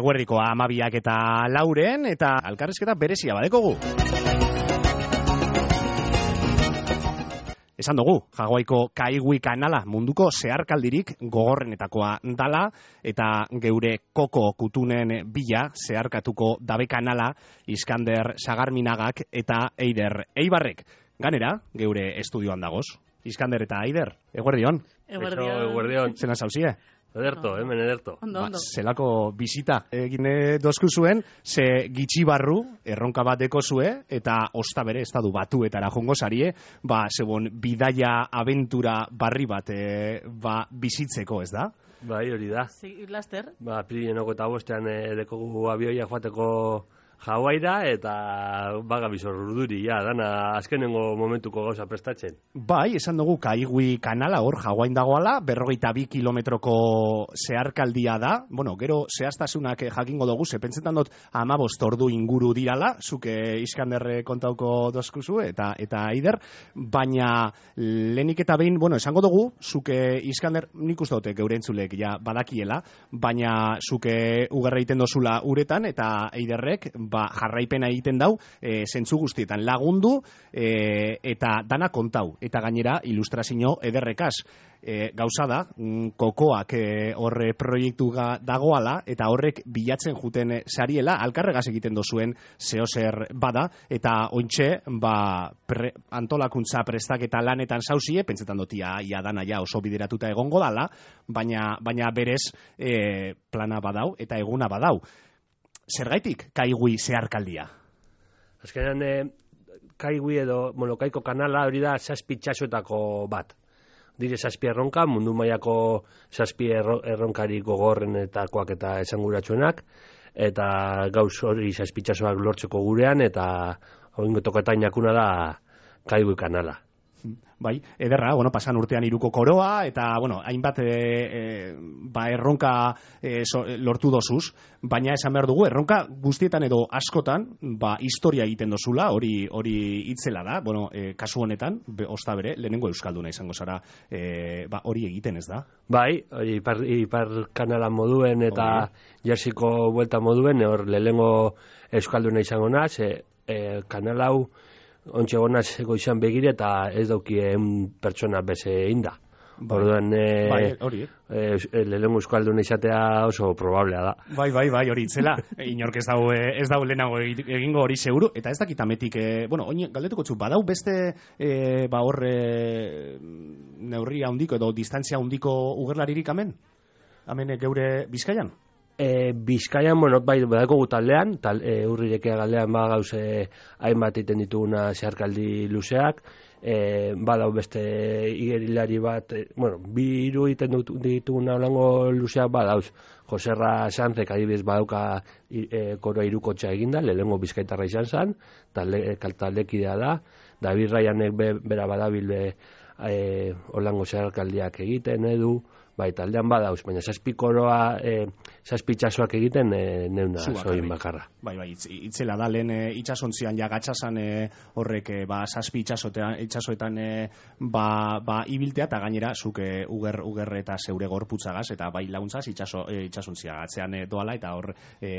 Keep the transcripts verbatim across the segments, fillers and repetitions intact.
eguerdiko amabiak eta lauren, eta alkarrizketa berezia badekogu. Esan dugu, Jaguaiko Kaigui kanala munduko zeharkaldirik gogorrenetakoa dala, eta geure koko kutunen bila zeharkatuko dabe kanala Iskander Sagarminagak eta Eider Eibarrek. Ganera, geure estudioan dagoz. Iskander eta Eider, eguerdion. Eguerdion. Zena zauzie? Ederto, hemen ederto. Ondo, ondo. Ba, zelako bizita egin dozku zuen, ze gitxi barru, erronka bat deko zue, eta osta bere estadu batuetara jongo zarie, ba, zebon, bidaia abentura barri bat e, ba, bizitzeko, ez da? Bai, hori da. Sí, laster. Ba, pirinenoko eta bostean e, dekogu abioia joateko Hawaira eta bagabizor urduri, ja, dana azkenengo momentuko gauza prestatzen. Bai, esan dugu Kaigui kanala hor Hawaiin dagoala, berrogeita bi kilometroko zeharkaldia da. Bueno, gero zehaztasunak jakingo dugu, ze pentsetan dut hamabost ordu inguru dirala, zuke Iskanderre kontauko dozkuzu eta eta Eider, baina lehenik eta behin, bueno, esango dugu, zuke Iskander, nik uste dute geure entzulek ja badakiela, baina zuke ugarra egiten dozula uretan eta Eiderrek ba, jarraipena egiten dau, e, zentzu guztietan lagundu e, eta dana kontau. Eta gainera, ilustrazio ederrekaz. E, gauza da, mm, kokoak e, horre proiektu dagoala, eta horrek bilatzen juten sariela, alkarregaz egiten dozuen zehozer bada, eta ointxe, ba, pre, antolakuntza prestaketa lanetan zauzie, pentsetan dotia ia dana ja oso bideratuta egongo dala, baina, baina berez e, plana badau, eta eguna badau. Zergaitik Kaigui zeharkaldia? Azkenean, e, Kaigui edo Molokaiko kanala hori da zazpi txasoetako bat. Dire zazpi erronka, mundu mailako zazpi erronkari gogorrenetakoak eta esanguratsuenak, eta gauz hori zazpi txasoak lortzeko gurean, eta hori toketain jakuna da Kaigui kanala. Bai, ederra, bueno, pasan urtean iruko koroa, eta, bueno, hainbat e, e, ba, erronka e, so, lortu dozuz, baina esan behar dugu, erronka guztietan edo askotan, ba, historia egiten dozula, hori hori itzela da, bueno, e, kasu honetan, be, osta bere, lehenengo euskalduna izango zara, e, ba, hori egiten ez da? Bai, hori ipar, ipar kanala moduen eta jarsiko buelta moduen, hor lehenengo euskalduna izango naz, e, e, kanal hau, ontxe gonaz goizan begire eta ez daukien pertsona beze inda. Orduan, e, bai, hori. E, lehenengo euskalduna izatea oso probablea da. Bai, bai, bai, hori itzela. Inork ez dau, ez dau lehenago egingo hori seguru. Eta ez dakit ametik, e, bueno, oin galdetuko txu, badau beste e, ba horre neurria handiko edo distantzia handiko ugerlaririk amen? Amen geure Bizkaian? E, Bizkaian, bueno, bai, badako gutaldean, tal, e, urrirekea galdean ba gauze hainbat iten dituguna zeharkaldi luzeak, e, badau beste igerilari bat, e, bueno, bi hiru iten dituguna holango luzeak badauz, Joserra Sanzek adibidez badauka e, koroa irukotxa eginda, lehengo bizkaitarra izan zen, talde, taldekidea da, David Ryanek be, bera badabil be, e, holango zeharkaldiak egiten edu, bai, taldean badauz, baina zazpi koroa, e, zazpi itxasoak egiten e, neuna zoin bakarra. Bai, bai, itz, itzela da, lehen e, itxasontzian ja gatsasan e, horrek e, ba, zazpi itxasoetan e, ba, ba, ibiltea, eta gainera zuk e, uger, uger eta zeure gorputzagaz, eta bai laguntzaz itxaso, e, itxasontzia gatzean e, doala, eta hor e,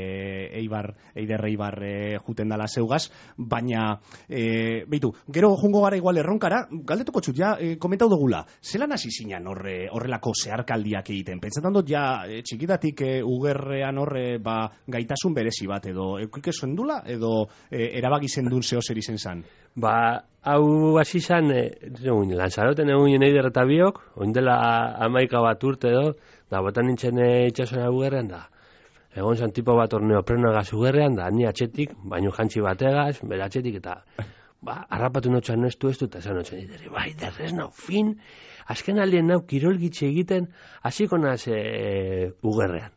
eibar, eider eibar e, juten dala zeugaz, baina, e, beitu, gero jungo gara igual erronkara, galdetuko txut, ja, e, komentau dugula, zelan hasi zinan horre, horrelako zehar kaldiak egiten. Pentsetan dut ja e, txikitatik e, ugerrean horre ba, gaitasun berezi bat edo eukik ezuen dula edo e, erabaki zendun zeo zer izen zan? Ba, hau hasi zan, e, Lanzaroten egun Eider eta biok, oindela amaika bat urte edo, da botan nintzen e, itxasona ugerrean da. Egon zan tipo bat orneo prenagaz ugerrean da, ni atxetik, baino jantzi bategaz, bera atxetik eta ba, harrapatu notxan nestu ez du, eta zan notxan diteri, bai, derrez nau fin, azken aldien nau kirolgitxe egiten, hasiko naz e, ugerrean.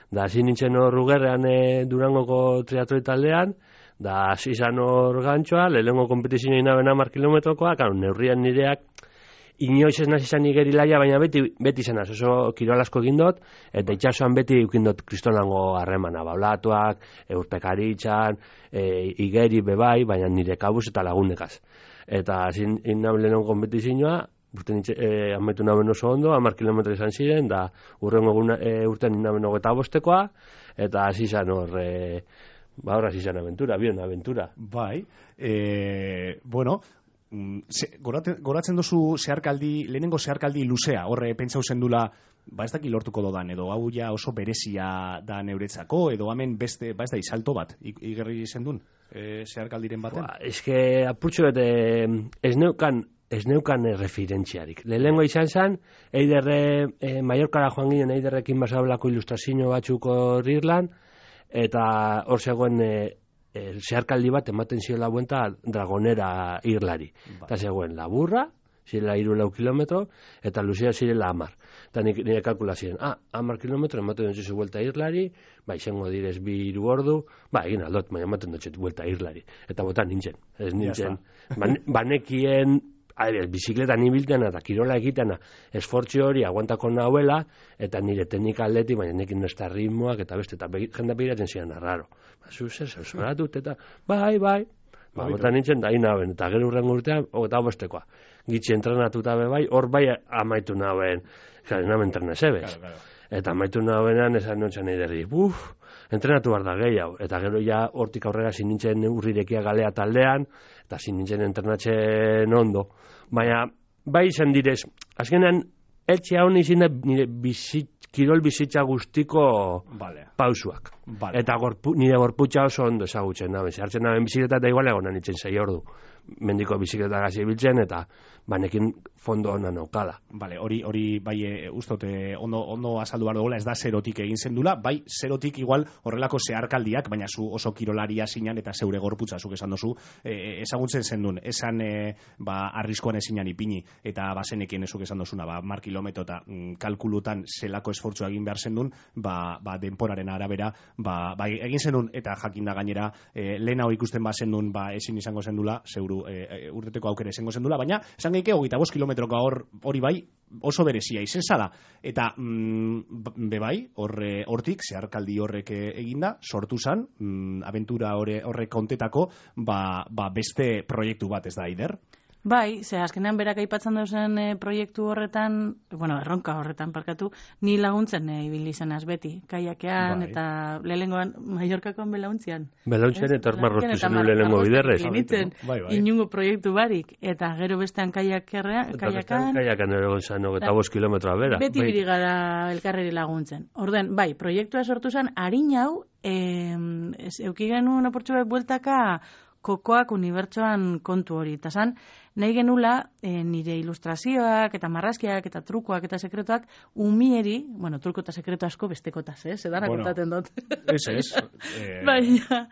Da, hasi nintzen hor ugerrean e, Durangoko triatloi taldean, da, hasi zan hor gantxoa, lehenengo kompetizioa inaben hamar kilometrokoa, karo, neurrian nireak, inoiz ez nazi zan igerilaia, baina beti, beti zenaz, oso kirol asko egin dut, eta itxasoan beti eukin dut kristonango harremana, baulatuak, eurpekaritxan, e, igeri bebai, baina nire kabuz eta lagunekaz. Eta zin innaben lehenon kompetizioa, urten e, ametu naben oso ondo, hamar kilometro izan ziren, da urrengo e, urten innaben hogeta bostekoa, eta hasi zan hor, e, ba hor hasi zan aventura, bion aventura. Bai, e, bueno, ze, goraten, goratzen duzu zeharkaldi, lehenengo zeharkaldi luzea, horre pentsau zendula, ba ez daki lortuko dodan, edo hau ja oso berezia da neuretzako, edo hemen beste, ba ez da izalto bat, igerri zendun, e, zeharkaldiren baten? Ba, eske apurtxo bete, ez neukan, ez neukan referentziarik. Lehenengo izan zen, eiderre, e, Mallorcara joan ginen eiderrekin basablako ilustrazio batzuk hor Irlan, eta hor zegoen e, e, zeharkaldi bat ematen ziola buenta Dragonera Irlari. Eta zegoen laburra, zirela iru lau kilometro, eta luzea zirela amar. Eta nire kalkula ziren, ah, amar kilometro ematen dutxezu buelta Irlari, ba, izango direz bi iru ordu, ba, egin aldot, baina ematen dutxet buelta Irlari. Eta botan nintzen, ez nintzen, banekien, adibidez, bizikletan ibiltena eta kirola egitena esfortzi hori aguantako nahuela, eta nire teknika aldeti, baina nekin ez da ritmoak, eta beste, eta jenda begiratzen ziren arraro. Ba, zu, zer, zer, zoratut, eta bai, bai, ba, botan nintzen da inaben, eta gero urren urtean, eta bostekoa. Gitzi entrenatuta be bai, hor bai amaitu naben, gara, naben entrenazebez. Claro, claro. Eta amaitu nabenean, esan nontzen nahi derri, buf, entrenatu behar da gehiago. Eta gero ja hortik aurrera zin nintzen urrirekia galea taldean, eta zin nintzen entrenatzen ondo. Baina, bai izan direz, azkenean, etxe hau nizin da nire bizit, kirol bizitza guztiko vale. Pausuak. Vale. Eta gorpu, nire gorputza oso ondo ezagutzen naben. Zertzen naben bizikleta eta igual egon nintzen zei ordu. Mendiko bizikleta gazi biltzen eta banekin fondo hona naukala. Vale, hori hori bai e, ustote ondo ondo azaldu behar dugu, ez da zerotik egin zendula, bai zerotik igual horrelako zeharkaldiak, baina zu oso kirolaria zinan eta zeure gorputza zuk esan dozu, e, ezagutzen zendun, esan e, ba arriskoan ezinan ipini eta bazenekien ezuk esan dozuna, ba mar kilometro eta mm, kalkulutan zelako esfortzua egin behar zendun, ba, ba denporaren arabera, ba, ba egin zendun eta jakinda gainera e, lehen hau ikusten ba zendun, ba ezin izango zendula, zeuru e, urteteko aukera izango zendula, baina esan geike hogeita bost kilometroko hor hori bai oso berezia izen zala. Eta mm, be bai, horre, hortik, zeharkaldi horrek eginda, sortu zan, mm, aventura horre, horrek kontetako, ba, ba beste proiektu bat ez da, Aider? Bai, ze azkenean berak aipatzen duzen e, proiektu horretan, bueno, erronka horretan parkatu, ni laguntzen e, ibili zenaz beti, kaiakean bai. Eta lehengoan Mallorcakoan belauntzian. Belauntzian eta marrostu zen lehenengo biderrez. Bai, bai. Inungo proiektu barik, eta gero bestean kaiakan. Kaiakan egon zan, eta bost kilometroa bera. Beti bai. Birigara elkarreri laguntzen. Orden, bai, proiektua sortu zen, harin hau, e, euki genuen oportxu bat bueltaka, kokoak unibertsoan kontu hori. Eta zan, nahi genula e, nire ilustrazioak eta marrazkiak eta trukoak eta sekretuak umieri, bueno, truko eta sekretu asko bestekotaz, eh? Zedana bueno, kontaten dut. Ez, ez. Eh... Baina,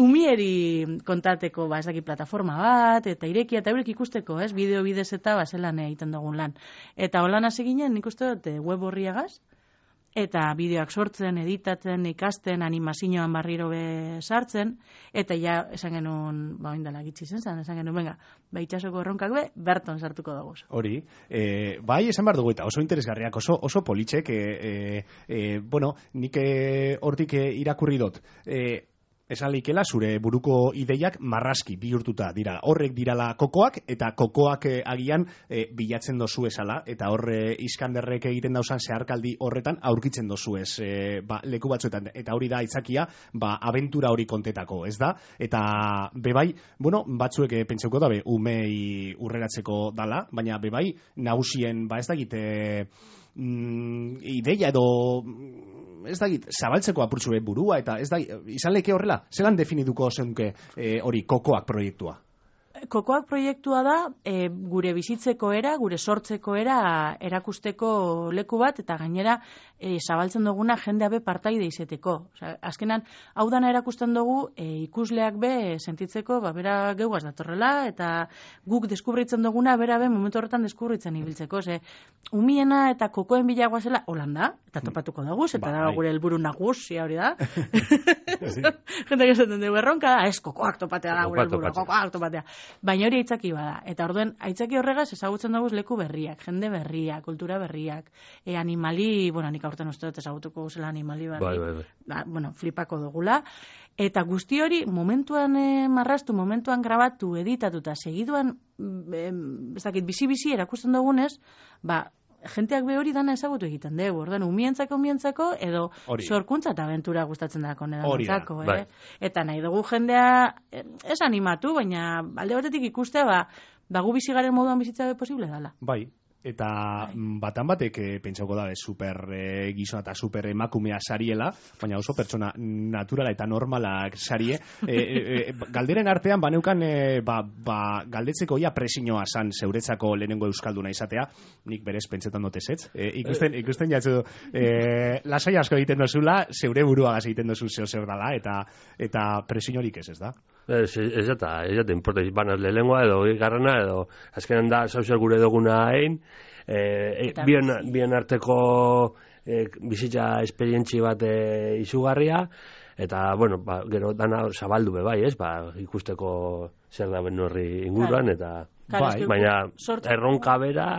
umieri kontateko, ba, ez daki plataforma bat, eta irekia eta eurek ikusteko, ez? Bideo bidez eta bazelan egiten dugun lan. Eta holan hasi ginen, nik uste dut, web horriagaz, eta bideoak sortzen, editatzen, ikasten, animazioan barriro be sartzen, eta ja, esan genuen, ba, oindala gitzi zen zen, esan genuen, venga, ba, itxasoko erronkak be, berton sartuko dago. Hori, e, bai, esan behar dugu, eta oso interesgarriak, oso, oso politxek, e, e, bueno, nik hortik e, irakurri dut, e, esan leikela zure buruko ideiak marrazki bihurtuta dira. Horrek dirala kokoak, eta kokoak eh, agian eh, bilatzen dozu esala, eta horre Iskanderrek egiten dauzan zeharkaldi horretan aurkitzen dozu ez eh, ba, leku batzuetan. Eta hori da itzakia, ba, abentura hori kontetako, ez da? Eta bebai, bueno, batzuek eh, pentseuko da, be, umei urreratzeko dala, baina bebai, nagusien, ba ez da egite... Mm, ideia edo ez da zabaltzeko apurtzu burua eta ez da izan leke horrela, zelan definituko zenke hori e, kokoak proiektua? Kokoak proiektua da e, gure bizitzeko era, gure sortzeko era erakusteko leku bat eta gainera e, zabaltzen duguna jendea be partaide izeteko. Osea, azkenan hau dana erakusten dugu e, ikusleak be sentitzeko, ba bera geugaz datorrela eta guk deskubritzen duguna bera be momentu horretan deskubritzen ibiltzeko, ze umiena eta kokoen bilagoa zela Holanda eta topatuko dugu, eta da gure helburu nagusia hori da. Jende esaten dugu erronka da, ez kokoak topatea da gure helburua, kokoak topatea. Baina hori aitzaki bada. Eta orduen, aitzaki horregaz ezagutzen dugu leku berriak, jende berriak, kultura berriak, e, animali, bueno, nik aurten uste dut ezagutuko guzela animali berri, bai, bai, bai. Da, bueno, flipako dugula. Eta guzti hori, momentuan e, marraztu, momentuan grabatu, editatu, eta segiduan, e, ez dakit, bizi-bizi erakusten dugunez, ba, jenteak be hori dana ezagutu egiten dugu, ordan umientzako umientzako edo Hori. sorkuntza eta abentura gustatzen dako Hori da, nedantzako, bai. eh? Eta nahi dugu jendea eh, ez animatu, baina alde batetik ikustea, ba, ba gu bizigaren moduan bizitza be posible dala. Bai, eta mm, batan batek e, pentsauko da, super e, gizona eta super emakumea sariela, baina oso pertsona naturala eta normalak sarie. E, e, e, galderen artean, baneukan, e, ba, ba, galdetzeko ia presioa san zeuretzako lehenengo euskalduna izatea, nik berez pentsetan dut ezetz. E, ikusten, ikusten jatzu, e, lasai asko egiten dozula, zeure buruagaz egiten dozu zeo zer dala, eta, eta presiorik ez ez da. Ez, ez eta, ez eta, importa, banaz lehengoa edo garrana edo, azkenan da, zauzer gure duguna hain, eh, bien, bien arteko eh, bizitza esperientzi bat eh, izugarria, eta, bueno, ba, gero dana zabaldu be bai, ez, ba, ikusteko zer da ben horri inguruan, eta, Bai, baina erronka bera,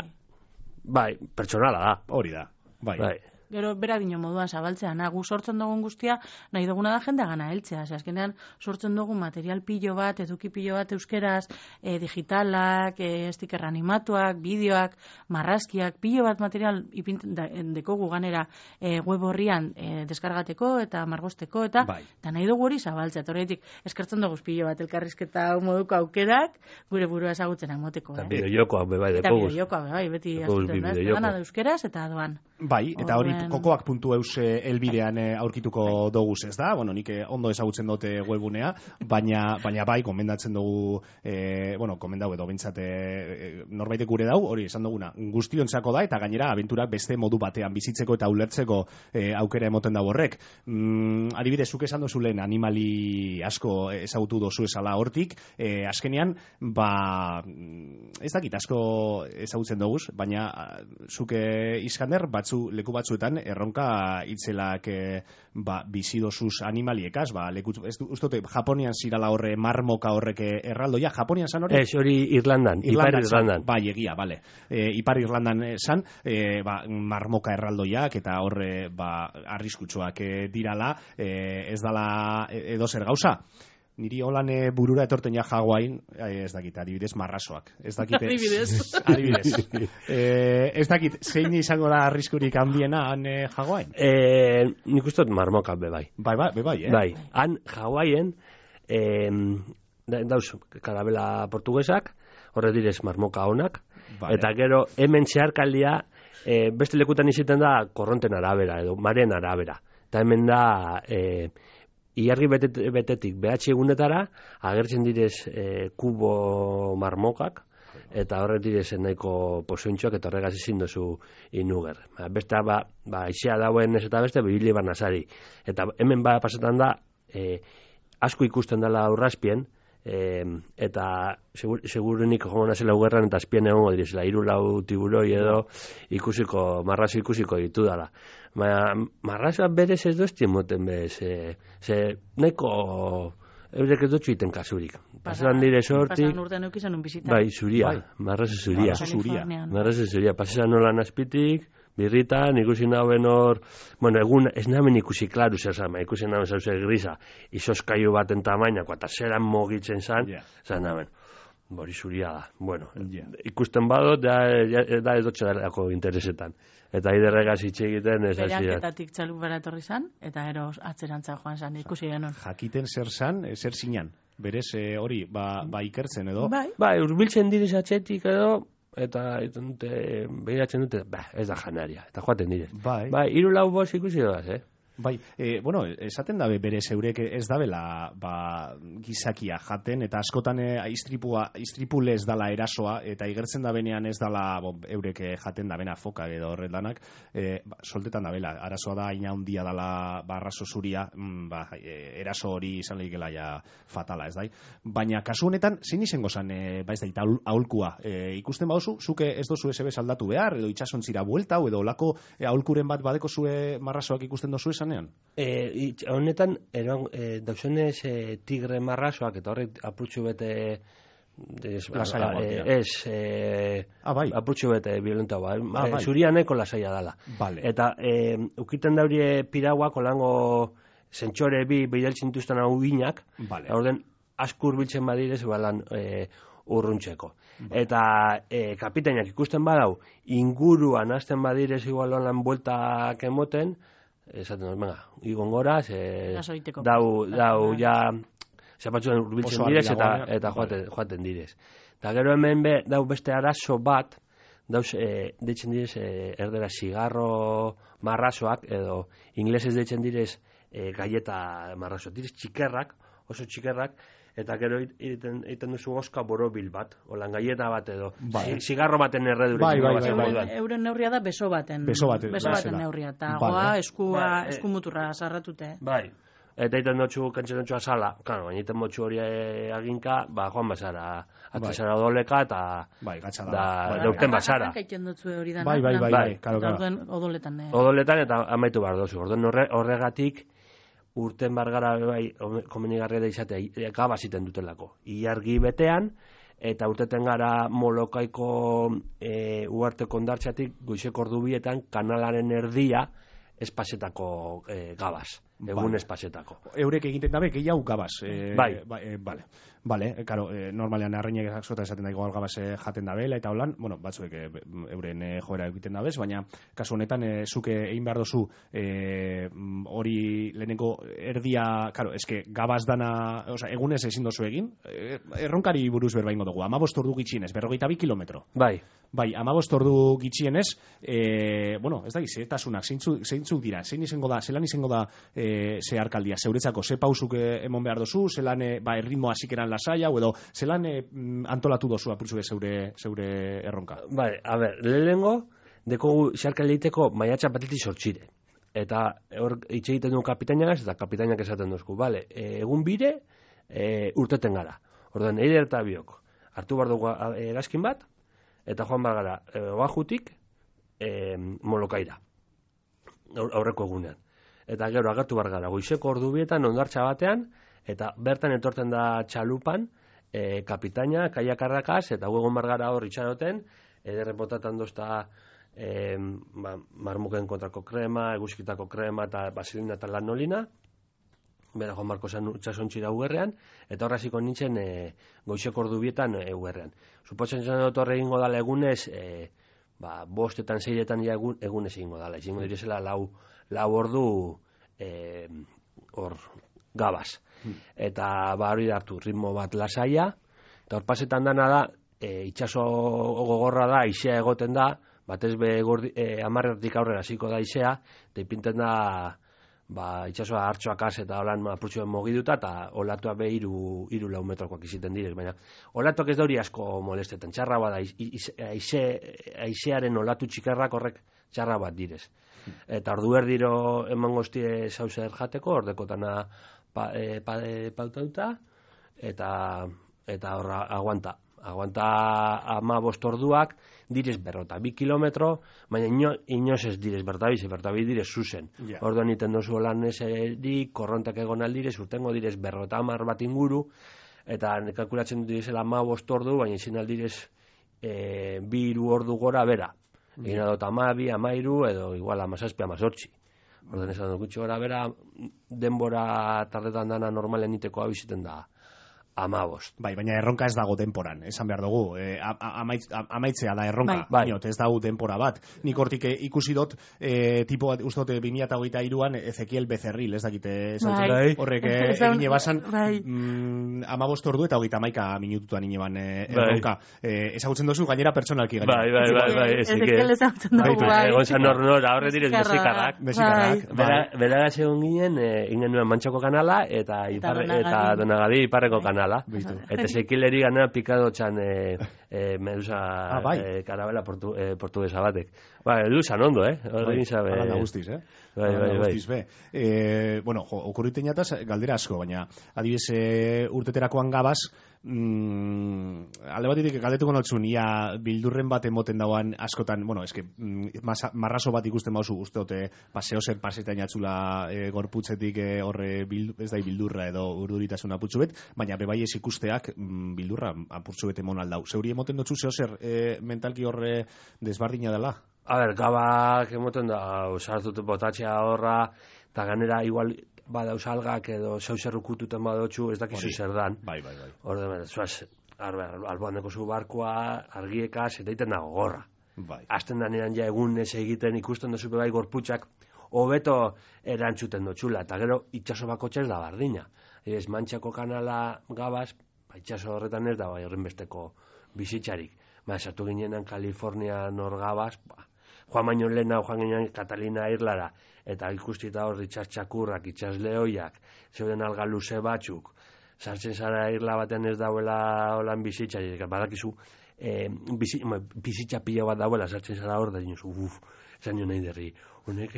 bai, pertsonala da. Hori da, bai. Bai. Gero bera dino moduan zabaltzea, na, gu sortzen dugun guztia, nahi duguna da jendea gana heltzea. Ze azkenean sortzen dugu material pilo bat, eduki pilo bat euskeraz, e, digitalak, e, sticker animatuak, bideoak, marrazkiak, pilo bat material ipinten dekogu ganera e, web horrian e, deskargateko eta margosteko, eta bai. eta nahi dugu hori zabaltzea. Horretik eskertzen dugu pilo bat elkarrizketa moduko aukerak, gure burua ezagutzen amoteko. Eta Eh? bideojokoak be bai Eta dekoguz. bideojokoa, bai, beti Dekoguz azuten da. bideojoko. Gana da euskeraz eta doan. Bai, eta hori Orduan- kokoak puntu eus elbidean eh, aurkituko doguz, ez da? Bueno, nik eh, ondo ezagutzen dute webgunea, baina baina bai, komendatzen dugu, eh, bueno, komendau edo bintzat eh, norbaitek gure dau, hori esan duguna, guztiontzako da, eta gainera abenturak beste modu batean bizitzeko eta ulertzeko eh, aukera emoten da horrek. Mm, adibidez, zuk esan dozu lehen animali asko ezagutu dozu esala hortik, eh, azkenean, ba, ez dakit asko ezagutzen doguz, baina ah, zuk eh, Iskander, batzu, leku batzuetan erronka itzelak e, ba, bizidozuz animaliekaz, ba, leku, ez du, ustote, Japonian zirala horre marmoka horrek erraldoia, Japonian zan hori? Ez, hori Irlandan, Ipar Irlandan. Bai, egia, bale. E, Ipar Irlandan zan, e, ba, marmoka erraldoiak eta horre ba, arriskutsuak e, dirala, e, ez dala edo zer gauza. Niri holan e, burura etorten ja Hawain, eh, ez dakit, adibidez, marrasoak. Ez dakit, Adibidez. adibidez. eh, ez dakit, zein izango da arriskurik handiena han eh, Hawain? Eh, nik uste dut marmoka be bai. Bai, bai, be bai, eh? Bai, han Hawaien eh, da- dauz karabela portugesak, horre direz marmoka honak, Vale. eta gero hemen zeharkaldia eh, beste lekutan iziten da korronten arabera edo maren arabera. Eta hemen da eh, ilargi betet, betetik behatzi egunetara agertzen direz eh, kubo marmokak, eta horret direz nahiko pozointxoak eta horregaz ezin duzu inuger. Ba, beste, ba, ba, izea dauen ez eta beste, bibili barnazari. Eta hemen ba pasetan da, eh, asko ikusten dela aurrazpien, eh, eta segur, segurunik joan nazela ugerran eta azpien egongo direzela, hiru lau tiburoi edo ikusiko, marrazo ikusiko ditu dala. Baina marrazoa berez ez doztien moten bez, ze, ze nahiko eurek ez dutxu iten kasurik. Pasetan dire sortik, Pasan urtean eukizan un bizita. bai, zuria, Bai. marrazo zuria. Marrazo zuria. Kalifornian. Marrazo zuria, pasetan nolan azpitik, birritan, ikusi nauen hor, bueno, egun ez nahmen ikusi klaru zer zama, ikusi nahmen zauze grisa, izoskaiu baten tamainako, eta zeran mogitzen zan, Yeah. zan nahmen, bori zuria da, bueno, Yeah. ikusten badot, da, da, da edotxe dalako interesetan, eta iderregaz hitz egiten ez hasi da. Beraketatik txaluk bara etorri zan, eta ero atzerantza joan zan, ikusi genuen. Jakiten zer zan, eh, zer zinan. Berez eh, hori, ba, ba ikertzen edo. Bai, Bai, urbiltzen direz atxetik edo, eta egiten dute, behiratzen dute, ba, ez da janaria, eta joaten direz. Bai. Bai, hiru lau bost ikusi doaz, eh? Bai, e, bueno, esaten dabe bere zeurek ez dabela ba, gizakia jaten, eta askotan e, istripua, istripulez dala erasoa, eta igertzen da benean ez dala bo, eurek jaten da bena foka edo horretanak, e, ba, soltetan da bela, arazoa da ina handia dala barraso zuria, mm, ba, e, eraso hori izan lehikela ja fatala, ez dai? Baina kasu honetan, zein izango zan, e, ba ez da, aholkua, e, ikusten baduzu, zuke ez dozu ese bez aldatu behar, edo itxasontzira buelta, edo olako e, aholkuren bat badeko zue marrasoak ikusten dozu esan? E, itx, honetan, eron, e, dauzenez e, tigre marrasoak, eta horrek apurtxu bete ez, Lasaiagoak e, dira. ez e, Ah, bai. apurtxu bete violenta ba, Ah, bai. e, zuria nahiko lasaia dala. Vale. Eta e, ukiten daurie pirauak olango zentsore bi bidaltzen duzten hau ginak, Vale. orden askur biltzen badirez, balan e, urruntzeko. Eta e, kapitainak ikusten badau, inguruan hasten badirez igual lan bueltak emoten, esaten dut, venga, igon gora, ze, dau, dau, ja, zapatxuen urbiltzen direz eta, eta joaten, joaten direz. Eta gero hemen be, dau beste arazo bat, dauz, e, deitzen direz, e, erdera zigarro marrazoak, edo inglesez deitzen direz e, galleta marrazo. Direz txikerrak, oso txikerrak, eta gero egiten, egiten duzu oska borobil bat, olan galleta bat edo, bai. Zigarro baten erredure. Bai, bai, bai, bai, bai. Euren neurria da beso baten, beso baten, beso baten neurria, eta vale. Goa eskua, bai, eskumuturra sarratute. Bai. Eta egiten dutxu, kantzen dutxu azala, claro, baina egiten motxu hori aginka, ba, joan basara, atzesara bai. Odoleka, eta bai, gatxala. Da, bai, deukten basara. Bai, bai, bai, bai, karo, karo. Odoletan. Odoletan eta amaitu behar dozu. Orduan horregatik, urten bargara bai, komenigarria da izatea, gabaziten dutelako. Iargi betean, eta urteten gara Molokaiko e, uarte kondartxatik, goizeko ordubietan, kanalaren erdia, espasetako e, gabaz. Egun vale. Espasetako. Eurek egiten dabe, gehiago gabaz. E, bai. Ba, e, vale. Vale, karo, e, normalean arreinek zota esaten da igual gabaz e, jaten dabela eta holan, bueno, batzuek e, euren e, joera egiten dabez, baina kasu honetan e, zuke egin behar dozu e, hori lehenengo erdia, karo, eske gabaz dana, oza, egunez ezin dozu egin, e, erronkari buruz berbaingo dugu, amabost ordu gitxienez, berrogeita bi kilometro. Bai. Bai, amabost ordu gitxienez, e, bueno, ez da, zetasunak, zeintzuk, zeintzuk dira, zein izango da, zelan izango da e, zeharkaldia, zeuretzako, ze pausuk emon behar dozu, zelan e, ba, erritmoa zikeran lasaia, edo zelan e, antolatu dozu apurtzu zeure, zeure erronka? Bai, a ber, lehenengo, deko zeharkaldiiteko maiatxa batetik sortxire. Eta hor hitz egiten duen kapitainak, eta kapitainak esaten duzku, bale, e, egun bire, e, urteten gara. Orduan, eider eta biok, hartu behar dugu erazkin bat, eta joan behar gara, e, oajutik, e, Molokaira, aurreko egunean. Eta gero agertu behar gara, goizeko ordubietan, ondartxa batean, eta bertan etortzen da txalupan, e, kapitaina, kaiakarrakaz, eta huegon behar gara hor itxaroten, ederren botatan dozta e, ba, marmuken kontrako krema, eguzkitako krema, eta basilina eta lanolina, bera joan barko zen itxasontxira ugerrean, eta horraziko nintzen e, goizeko ordubietan e, ugerrean. Supotzen zen dut horre egingo dala egunez, e, ba, bostetan, zeiretan ja egun, egunez egingo dala. Ezingo direzela lau, lau ordu e, hor gabaz. Eta ba hori hartu ritmo bat lasaia, eta hor pasetan dana da, e, itxaso gogorra da, aizea egoten da, batez be e, amarretik aurrera hasiko da aizea, eta ipinten da ba, itxasoa hartxoakaz eta holan apurtxoen mogiduta, eta olatua be iru, iru lau metrokoak iziten direz, baina olatuak ez da hori asko molestetan, txarra bat aize, aizearen olatu txikarrak horrek txarra bat direz. Eta ordu erdiro eman goztie zauze erjateko, ordekotana pa, e, pa, e, pautauta, eta eta horra aguanta. Aguanta ama bost orduak, direz berrota bi kilometro, baina ino, inoz ez direz bertabiz, bertabiz direz zuzen. Yeah. Orduan iten dozu holan eserik, korrontak egon aldirez, urtengo direz berrota amar bat inguru, eta kalkulatzen direzela ama bost ordu, baina izin aldirez e, bi iru ordu gora bera. Yeah. Egin adot amabi, amairu, edo igual amazazpi, amazortzi. Orduan esan dut gutxi gora bera, denbora tardetan dana normalen iteko abiziten da. Amabost. Bai, baina erronka ez dago denporan, esan behar dugu. E, amaitz, amaitzea da erronka, bai. Baina ez dago denpora bat. Nik hortik ikusi dut, e, tipo bat, uste dut, bi mila hogeita hiruan Ezekiel Becerril, ez dakite, bai. Horrek e, egin ebasan, bai. mm, amabost ordu eta hogeita maika minututan ineban e, erronka. Bai. E, ezagutzen dozu, gainera pertsonalki gainera. Bai, bai, bai, bai, Ezekiel ezagutzen dugu, bai. Egon zan hor nora, horre direz bezikarrak. Bezikarrak, bai. Bera egon ginen, ingen nuen Mantxoko kanala, eta, eta Donagadi iparreko kanala. Bitu. Eta Ezekileri gana pikado txan e, e, medusa ah, bai. e, karabela portu, e, portuguesa batek. Ba, edu zan ondo, eh? Bai, ala guztiz, eh? Bai, bai, bai. Be. E, bueno, jo, okurriten jataz, galdera asko, baina adibidez e, urteterakoan gabaz, mm, alde batetik galdetuko notzun, ia bildurren bat emoten dauan askotan, bueno, eske, mm, marraso bat ikusten bauzu, uste dute, paseo zer pasetan jatzula e, gorputzetik e, horre bildu, ez da bildurra edo urduritasun apurtzu bet, baina bebai ez ikusteak mm, bildurra apurtzu bet emon aldau. Zeuri emoten dutzu zeo zer e, mentalki horre desbardina dela? A ber, gabak emoten da, sartut botatxea horra, eta ganera igual badauz algak edo zeu zer ukututen badotxu, ez dakizu zer dan. Bai, bai, bai. Horde, zuaz, alboan deko zu barkoa, argiekaz, eta iten dago gorra. Bai. Azten danean ja egun ez egiten ikusten dozu bai gorputxak, hobeto erantzuten dutxula, eta gero itxaso bakotxa ez da bardina. Ez Mantxako kanala gabaz, ba, itxaso horretan ez da bai horren besteko bizitzarik. Ba, esatu ginenan Kalifornia nor gabaz, ba, joan baino lehena, joan ginean Katalina Irlara, eta ikustita hor itxastxakurrak, itxasleoiak, zeuden alga luze batzuk, sartzen zara irla batean ez dauela holan bizitzarik, badakizu, E, bizi, ma, bizitza pila bat dauela sartzen zara hor da dinosu, uf, zan jo nahi derri, honek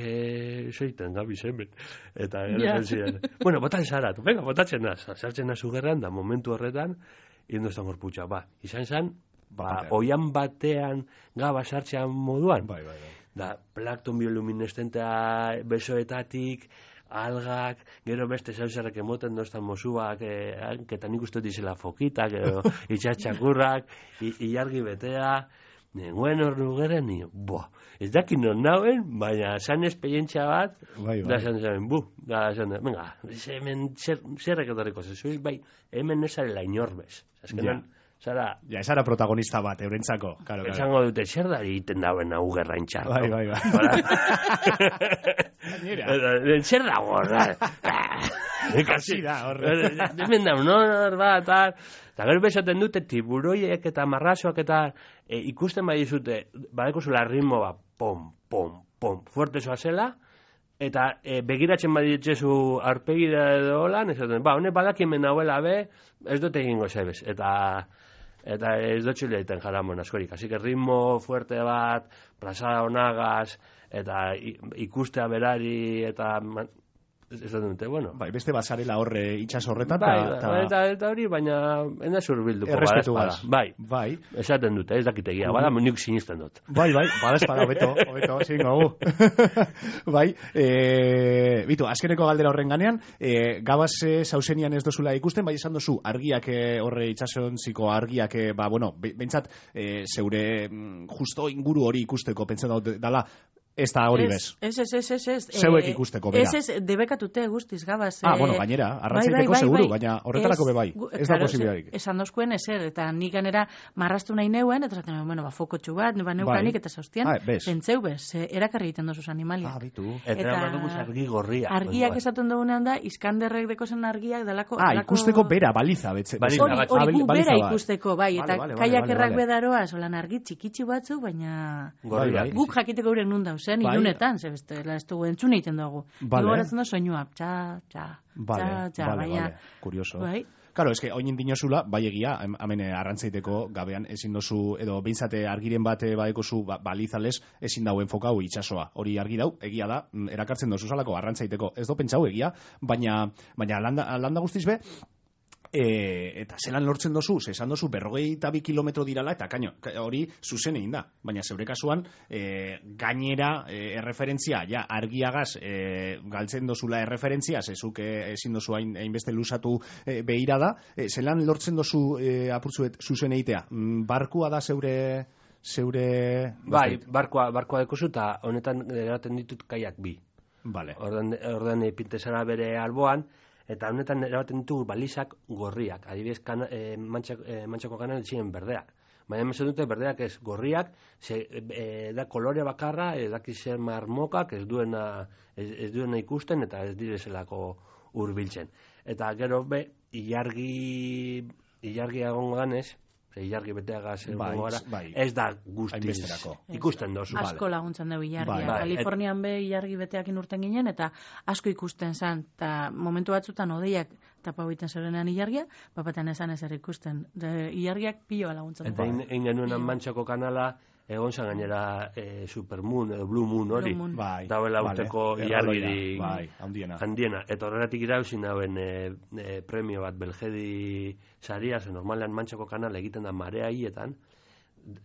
zeiten gabiz hemen, eta yeah. ziren, bueno, botan zara, tu, venga, botatzen naz, sartzen nazu gerran, da momentu horretan, indo estan gorputxa, ba, izan zan, ba, oian batean gaba sartzean moduan, bai, bai, bai. Da, plankton bioluminescentea besoetatik, algak, gero beste zauzarrak emoten doztan mozuak, eh, ketan ikustu dizela fokitak, gero itxatxakurrak, ilargi betea, nengoen hor nugeren, ni, boa, ez dakin non nauen, baina zan esperientzia bat, bai, bai. da zan zan, bu, da zan, venga, hemen zer, zerrek etorriko zezuiz, bai, hemen nezarela inorbez, azkenan, ja. Zara... Ja, esara protagonista bat, eurentzako. Claro, esango claro. Dute, zer da egiten dauen hau gerraintxar. Bai, bai, bai. Zer da gorra. Kasi da, horre. Hemen da, honor bat, tal. Eta gero bezaten dute, tiburoiek eta marrasoak eta e, ikusten bai dizute, badeko zula ritmo bat, pom, pom, pom, fuerte zoa zela, eta e, begiratzen baditzezu arpegida edo holan, esaten, ba, honek badaki hemen nauela be, ez dute egingo zebez, eta... eta ez dutxile egiten jaramon askorik. Así que ritmo fuerte bat, plazada onagaz, eta ikustea berari, eta ez da dute, bueno. Bai, beste basarela horre itxas horretan. Bai, ta, ta... eta, eta hori, baina ena zurbilduko. Errespetu gaz. Bai, bai. Esaten dute, ez dakitegia, bada nik sinisten dut. Bai, bai, bada espada, hobeto, hobeto, zingo gu. Bai, e, bitu, azkeneko galdera horren ganean, e, gabaz e, zauzenian ez dozula ikusten, bai esan dozu, argiak e, horre itxasontziko argiak, e, ba, bueno, bentsat, e, zeure mm, justo inguru hori ikusteko, pentsen dut, dala, ez da hori bez. Ez, ez, ez, ez, ez. Zeuek ikusteko, bera. Ez, ez, debekatute guztiz, gabaz. Ah, bueno, gainera, arrantzaiteko bai, bai, seguru, bai, baina horretarako be bai. Ez da posibilidarik. Esan dozkuen ezer, eta nik ganera marrastu nahi neuen, eta zaten, bueno, ba, fokotxu bat, ba, neukanik, eta zauztien, ah, pentseu bez, erakarri egiten dozuz animaliak. Ah, bitu. Eta, eta duguz argi gorria. Argiak esaten dugunean da, iskanderrek dekozen argiak dalako... Ah, ikusteko bera, baliza, betze. Hori, hori gu bera ikusteko, bai, eta kaiakerrak bedaroa, solan argi txikitsi batzuk, baina guk jakiteko gure nun dauzen, ilunetan, beste, la ez dugu entzun egiten dugu. Vale. Gogoratzen da soinua, txa, txa, vale, txa, txa, vale, baina... Vale. Curioso. Bai. Claro, eske oin dinozula, bai egia, hemen arrantzaiteko gabean ezin dozu, edo behintzate argiren bate badekozu ba, balizales, ezin dauen fokau itxasoa. Hori argi dau, egia da, erakartzen dozu salako arrantzaiteko. Ez do pentsau egia, baina, baina landa, landa guztiz be, E, eta zelan lortzen dozu, esan dozu berrogei eta bi kilometro dirala, eta kaino, hori zuzen egin da, baina zeure kasuan e, gainera e, erreferentzia, ja, argiagaz e, galtzen dozula erreferentzia, zezuk e, ezin dozu hain, hainbeste lusatu e, behira da, e, zelan lortzen dozu e, apurtzuet zuzen egitea, barkua da zeure... zeure... Bai, barkoa, barkoa dekozu, eta honetan eraten ditut kaiak bi. Vale. Orden, orden pintezara bere alboan, eta honetan erabaten ditugu balizak gorriak. Adibidez, kana, e, mantxako, e, mantxako kanan ziren berdeak. Baina emezen dute berdeak ez gorriak, ze, e, da kolore bakarra, ez daki zer marmokak, ez duena, ez, ez duena ikusten, eta ez direzelako hurbiltzen. Eta gero be, ilargi, ilargi agongo ganez, ilargi beteagaz bai, gara, bai. Ez da guztiz ikusten dozu. Asko vale. Laguntzen dugu ilargia. Bai, bai. Kalifornian be ilargi beteakin urten ginen, eta asko ikusten zan, eta momentu batzutan odeiak tapa egiten zerenean ilargia, bapatean esan ezer ikusten. De, ilargiak piloa laguntzen dugu. Eta egin genuen Mantxako kanala, egon zan gainera e, Supermoon edo Blue Moon hori, bai, dauela urteko vale. ilargirik bai, handiena. handiena. Eta horregatik irauzin dauen e, e, premio bat Belgedi saria, ze normalean Mantxako kanala egiten da marea hietan,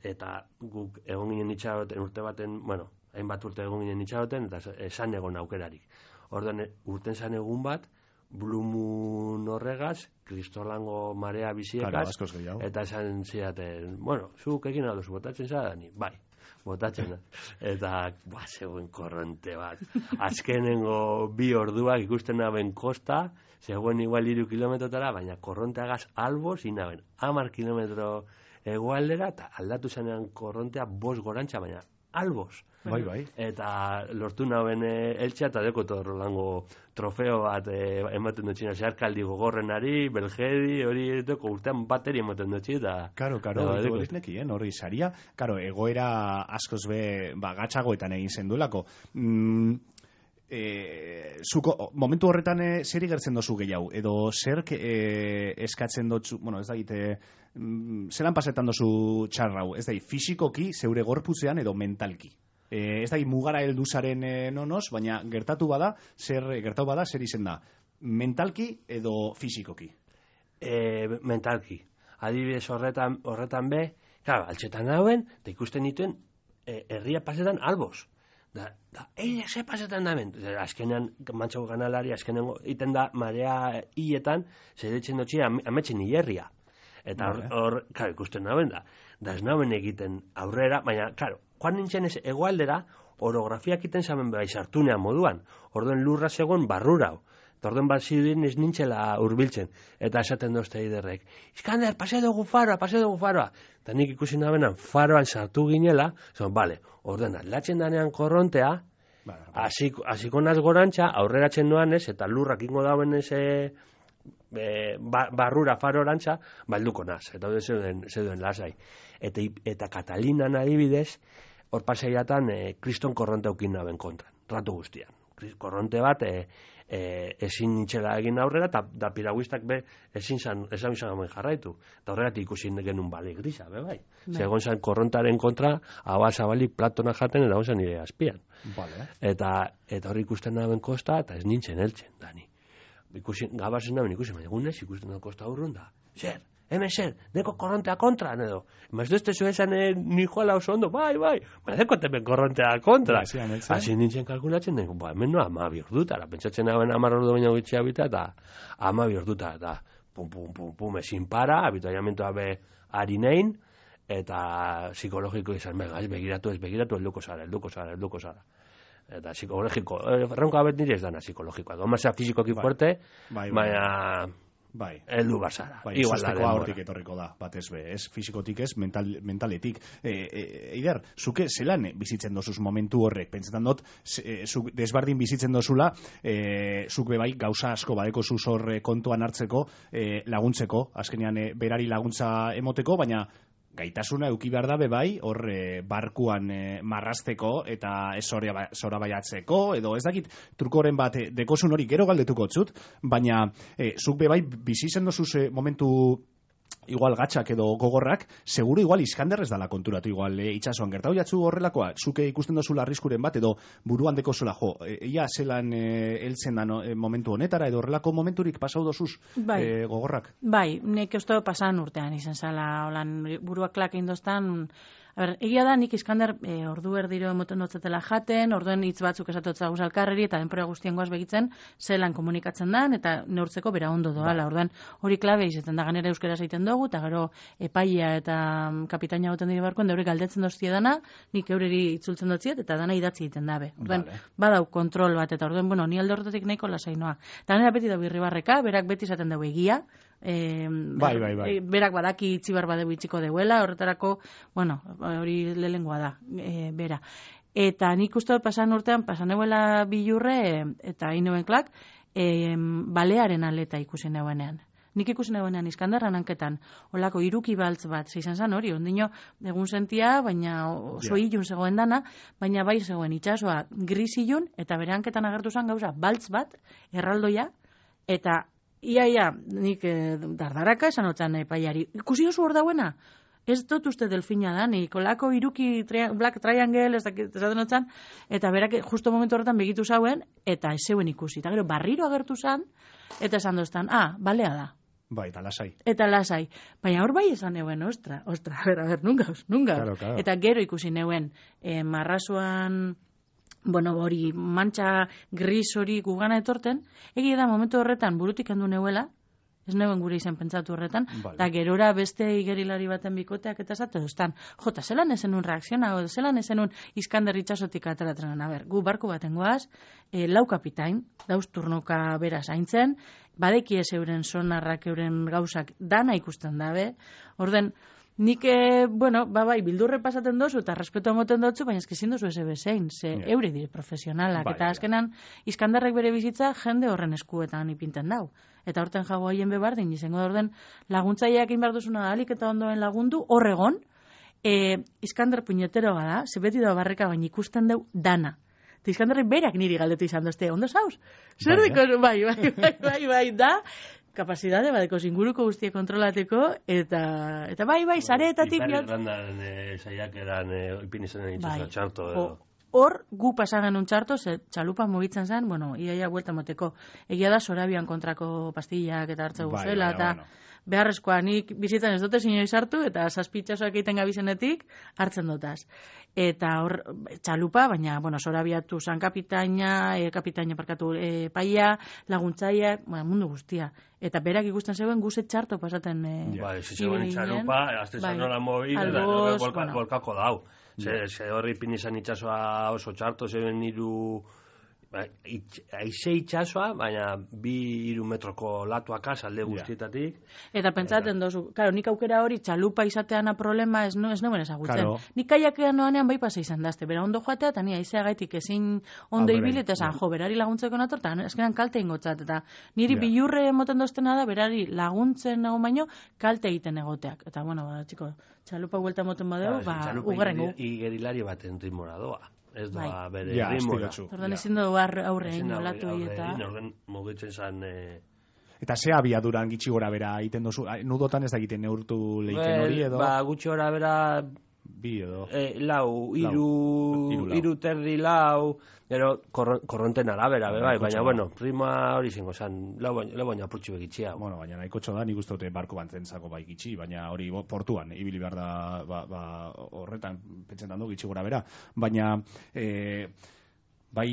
eta guk egon ginen itxaroten urte baten, bueno, hainbat urte egon ginen itxaroten, eta esan egon aukerarik. Orduan, urten zan egun bat, Blue Moon horregaz, kristolango marea biziekaz, claro, eta esan zidaten, bueno, zuk egin adozu, botatzen zara, ni, bai, botatzen da. Eta, ba, zegoen korronte bat. Azkenengo bi orduak ikusten naben kosta, zegoen igual iru kilometrotara, baina korronteagaz albo zinaben, hamar kilometro egualdera, eta aldatu zenean korrontea bost gorantza, baina albos. Bai, bai. Eta lortu nauen e, eltsa, eta deko torrolango trofeo bat e, ematen dutxina, zeharkaldi gogorrenari, belgedi, hori deko urtean bateri ematen dutxi, eta... Karo, karo, hori nekien, hori saria. Karo, egoera askoz be, ba, gatxagoetan egin zenduelako. Mm, e, zuko, momentu horretan e, zer igertzen dozu gehiago, edo zer e, eskatzen dutzu, bueno, ez da gite, mm, zelan pasetan dozu txarrau, ez da, fisikoki, zeure gorputzean edo mentalki. E, ez da, mugara helduzaren e, nonoz, baina gertatu bada, zer gertatu bada, zer izen da, mentalki edo fisikoki? E, mentalki. Adibidez horretan, horretan be, claro, altxetan hauen, eta ikusten dituen, e, herria pasetan alboz. Da, da, eile, ze pasetan da ben? Azkenean, mantxago ganalari, azkenean iten da, marea hietan, zeretzen dutxi, ametxen hilerria. Eta hor, hor, claro, ikusten naben da. Da ez naben egiten aurrera, baina, claro, joan nintzen ez egoaldera, orografiak iten zamen bai sartunean moduan. Orduen lurra zegoen barrurau. Eta orduen bat zidin ez nintzela hurbiltzen. Eta esaten dozte iderrek, Iskander, pase dugu faroa, pase dugu faroa. Eta nik ikusi nabenan faroan sartu ginela, zon, bale, orduen atlatzen danean korrontea, hasiko naz gorantza, aurreratzen noan ez, eta lurrak ingo dauen ez, e, e, ba, barrura farorantza, balduko naz, eta hori zeuden, zeuden lasai. Eta, eta Katalinan adibidez, hor paseiatan e, kriston korronte aukin naben kontran, ratu guztian. Korronte bat e, e, ezin nintxela egin aurrera, eta da piraguistak be ezin zan, ezan izan gamen jarraitu. Eta horregatik ikusi genuen bali grisa, be bai. Segon zan korrontaren kontra, hau zabalik platona jaten, eta hon zan nire azpian. Vale. Eta, eta horri ikusten naben kosta, eta ez nintzen heltzen, Dani. Ikusi, gabazen naben ikusi, baina egunez ikusten naben kosta urrun da. Zer? Hemen zer, deko korrontea kontra, edo. Maz duzte zuezan eh, ni joala oso ondo, bai, bai, baina deko temen korrontea kontra. Hasi nintzen kalkulatzen, dengo, ba, hemen no, ama biordutara, pentsatzen hauen amar ordu baina gutxia bita, eta ama biordutara, eta pum, pum, pum, pum, ezin para, habituallamentoa be harinein, eta psikologiko izan, bega, ez begiratu, ez begiratu, elduko zara, elduko zara, elduko zara. Eta psikologiko, erronka abet nire ez dana psikologikoa, gomazea fizikoki fuerte, baina... Bai. Eldu basara. Bai, igual hortik etorriko da, bat ez be, ez fizikotik ez, mental, mentaletik. E, e, Eider, zuke zelan bizitzen dozuz momentu horrek? Pentsetan dut, e, zuk desbardin bizitzen dozula, e, zuk be bai gauza asko badeko zuz horre kontuan hartzeko, e, laguntzeko, azkenean e, berari laguntza emoteko, baina gaitasuna euki behar da bebai, hor e, barkuan e, marrazteko eta ez zora baiatzeko, edo ez dakit trukoren bat e, dekosun hori gero galdetuko txut, baina e, zuk bebai bizi zen dozuz e, momentu igual gatxak edo gogorrak, seguro igual Iskander ez dala konturatu igual e, itxasuan gertau jatzu horrelakoa, zuke ikusten dozula arriskuren bat edo buruan deko zola, jo, e, ia zelan e, eltzen da no, e, momentu honetara edo horrelako momenturik pasau dozuz bai. e, gogorrak? Bai, nek uste pasan urtean izan zala, holan buruak klak indostan. A ber, egia da, nik Iskander e, ordu erdiro emoten dutzetela jaten, orduen hitz batzuk esatotza guz alkarreri, eta denpora guztien goaz begitzen, zelan komunikatzen dan, eta neurtzeko bera ondo doala. Orduen hori klabe izaten da, ganera euskera zaiten dugu, eta gero epaia eta kapitaina goten dira barkoen, da hori galdetzen doztie dana, nik eureri itzultzen dutziet, eta dana idatzi egiten dabe. Orduen, vale. Badau kontrol bat, eta orduen, bueno, ni alde horretatik nahiko lasainoa. Eta ganera beti da birribarreka, berak beti izaten dugu egia, E, bai, bai, bai. Berak badaki itxibar badeu itxiko deuela, horretarako, bueno, hori lehengoa da, e, bera. Eta nik uste dut pasan urtean, pasan euela bilurre, eta hain klak, e, balearen aleta ikusi neuenean. Nik ikusi neuenean Iskanderran hanketan, holako iruki baltz bat, zeizan zan hori, ondino egun sentia, baina oso yeah. ilun zegoen dana, baina bai zegoen itxasoa gris ilun, eta bere hanketan agertu zen gauza, baltz bat, erraldoia, eta Ia, ia, nik eh, dardaraka esan otzan epaiari. Ikusi oso hor dauena? Ez dut uste delfina da, nik olako iruki tria, black triangle, ez dakit esaten otzan, eta berak justo momentu horretan begitu zauen, eta ez zeuen ikusi. Eta gero barriro agertu zan, eta esan doztan, ah, balea da. Bai, eta lasai. Eta lasai. Baina hor bai esan neuen, ostra, ostra, a ber, a ber, nungauz, nungauz. Claro, claro. Eta gero ikusi neuen, eh, marrazuan... bueno, hori mantxa gris hori gugana etorten, egia da momentu horretan burutik handu neuela, ez neuen gure izan pentsatu horretan, eta vale. Gerora beste igerilari baten bikoteak eta zatu duztan, jota, zelan ezen un reakziona, o zelan ezen un Iskander itxasotik ateratzen, a ber, gu barku baten goaz, e, lau kapitain, dauz turnoka bera zaintzen, badeki ez euren sonarrak, euren gauzak, dana ikusten dabe. Orden, nik, e, bueno, ba, bai, bildurre pasaten dozu eta respeto emoten dotzu, baina ezkezin dozu ez ebezein, ze yeah. eure dire profesionalak, bai, eta azkenan Iskandarrek bere bizitza jende horren eskuetan ipinten dau. Eta horten jago haien bebardin, izango da orden laguntzaileak egin behar duzuna alik eta ondoen lagundu, horregon, e, Iskandar puñetero bada, ze beti da barreka baina ikusten dau dana. Eta Iskandarrek berak niri galdetu izan dozte, ondo zauz? Zer diko, bai, bai, bai, bai, bai, da, kapazitate, badeko inguruko guztia kontrolateko, eta, eta bai, bai, sareetatik... Ipar Irlandan e, saiak eran e, ipin izanen itxosa txarto edo. Hor, gu pasagan un txarto, ze txalupa mugitzen zen, bueno, iaia huelta moteko. Egia da, Sorabian kontrako pastillak eta hartze guzela, eta bueno. Beharrezkoa nik bizitzen ez dute zinoi sartu, eta zazpitxasoak egiten gabizenetik hartzen dutaz. Eta hor, txalupa, baina, bueno, Sorabiatu zan kapitaina, e, kapitaina parkatu e, paia, laguntzaia, bueno, mundu guztia. Eta berak ikusten zeuen guzet txarto pasaten... E, bai, zizegoen txalupa, azte zan nola mobil, eta volka, volkako dau. Ze, ze horri pin izan itxasoa oso txarto, zeuen iru... Aize itxasoa, baina bi iru metroko latuakaz alde guztietatik. Eta pentsaten dozu, claro, nik aukera hori txalupa izateana problema ez no, ez neuen ezagutzen. Claro. Nik kaiakean noanean bai pasa izan dazte, bera ondo joatea, eta ni aizea gaitik ezin ondo ibili, eta esan, jo, berari laguntzeko nator, eta eskeran kalte ingotzat, eta niri yeah. bilurre emoten doztena da, berari laguntzen nago baino, kalte egiten egoteak. Eta, bueno, ba, txiko, txalupa huelta emoten badeu, ba, ugarrengu. Txalupa igerilari baten ritmora doa. Ez doa bai. bere ja, rimora. Ordan ezin dugu aurre egin olatu eta... Ordan mugitzen zan... E... Eta ze abiaduran gitxi gora bera egiten dozu? Nudotan ez da egiten neurtu leiken hori edo? Ba, gutxi gora bera... Bi edo? E, lau, iru, iru, iru terdi lau, gero korronten arabera, be, bai, baina, bueno, prima hori zingo zan, lau baina apurtxu begitxia. Bueno, baina nahiko txo da, nik uste dute barko bantzen bai gitxi, baina hori portuan, ibili behar da, ba, ba, horretan pentsetan du gitxi gora bera. Baina, e, bai,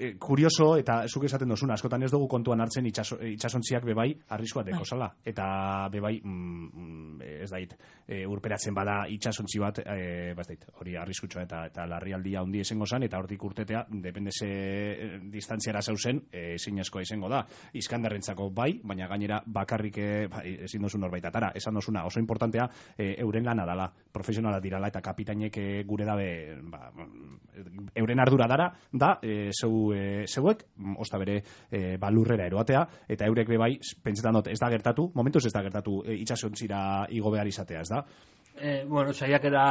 e, kurioso, eta zuk esaten dozuna, askotan ez dugu kontuan hartzen itxaso, itxasontziak bebai arriskoa dekozala. Eta bebai, mm, ez dait, e, urperatzen bada itxasontzi bat, e, ba ez dait, hori arriskutsua eta, eta larrialdia handi esengo zan, eta hortik urtetea, depende ze distantziara zauzen, e, zinezkoa izango da. Iskandarrentzako bai, baina gainera bakarrik e, ba, ezin dozun norbait atara. Esan dozuna, oso importantea, e, euren lana dala, profesionala dirala, eta kapitainek e, gure dabe, ba, euren ardura dara, da, E, zeu, e, zeuek, osta bere e, balurrera eroatea, eta eurek bebai, pentsetan dut, ez da gertatu, momentuz ez da gertatu e, itxasontzira igo behar izatea, ez da? E, bueno, saiakera,